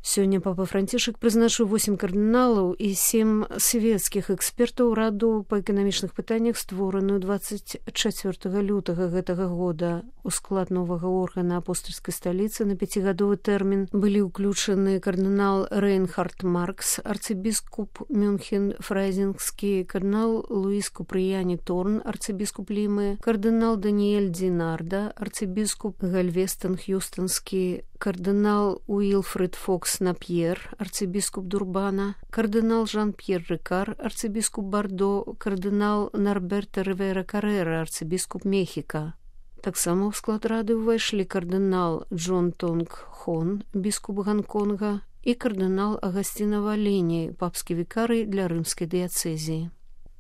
Сёння папа Францішак прызначыў 8 кардыналаў і 7 свецкіх экспертаў раду па эканамічных пытаннях, створаную 24 лютага гэтага года. У склад новага органа апостольскай сталіцы на 5-гадовы тэрмін былі ўключаны кардынал Рейнхард Маркс, арцыбіскуп Мюнхен-Фрайзінгскі, кардынал Луіс Купрыяні Торн, арцыбіскуп Лімы, кардынал Даніэль Динарда, арцыбіскуп Гальвестон Хьюстонскі, кардынал Уилфред Фокс Напьер, арцыбіскуп Дурбана, кардынал Жан-Пьер Рикар, арцыбіскуп Бардо, кардынал Норберто Ривера Каррера, арцыбіскуп Мехіка. Таксама ў склад рады ўвайшлі кардынал Джон Тонг Хон, біскуп Гонконга, і кардынал Агасціна Валені, папскі вікарый для рымскай дыяцэзіі.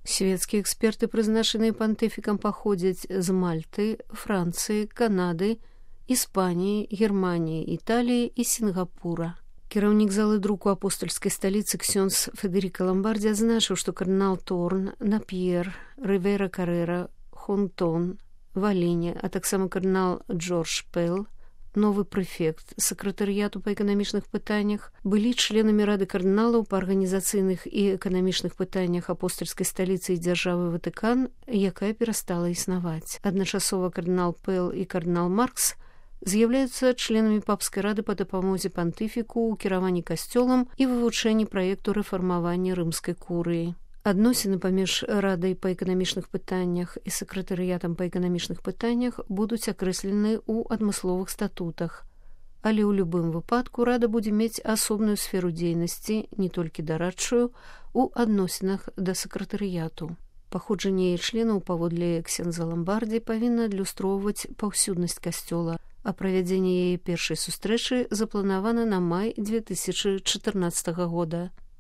Свецкія эксперты, прызначаныя пантыфікам, паходзяць з Мальты, Францыі, Канады, Іспаніі, Германіі, Італіі і Сінгапура. Кіраўнік залы друку апостольскай сталіцы ксёндз Федеріка Ламбардзі адзначыў, што кардынал Торн, Напьер, Ривера Каррера, Хонтон, Валені, а таксама кардынал Джордж Пэл, новы прэфект сакратарыяту па эканамічных пытаннях, былі членамі рады кардыналаў па арганізацыйных і эканамічных пытаннях апостольскай сталіцы і дзяржавы Ватыкан, якая перастала існаваць. Адначасова кардынал Пэл і кардынал Маркс з'яўляюцца членамі папскай рады па дапамозе пантыфіку ў кіраванні касцёлам і вывучэнні праекту рэфармавання рымскай курыі. Адносіны паміж радай па эканамічных пытаннях і сакратарыятам па эканамічных пытаннях будуць акрэслены ў адмысловых статутах, але ў любым выпадку рада будзе мець асобную сферу дзейнасці, не толькі дарадчую, у адносінах да сакратарыяту. Паходжанне яе членаў паводле ксёндза Ламбардзі павінна адлюстроўваць паўсюднасць касцёла, а правядзенне яе першай сустрэчы запланавана на май 2014 года.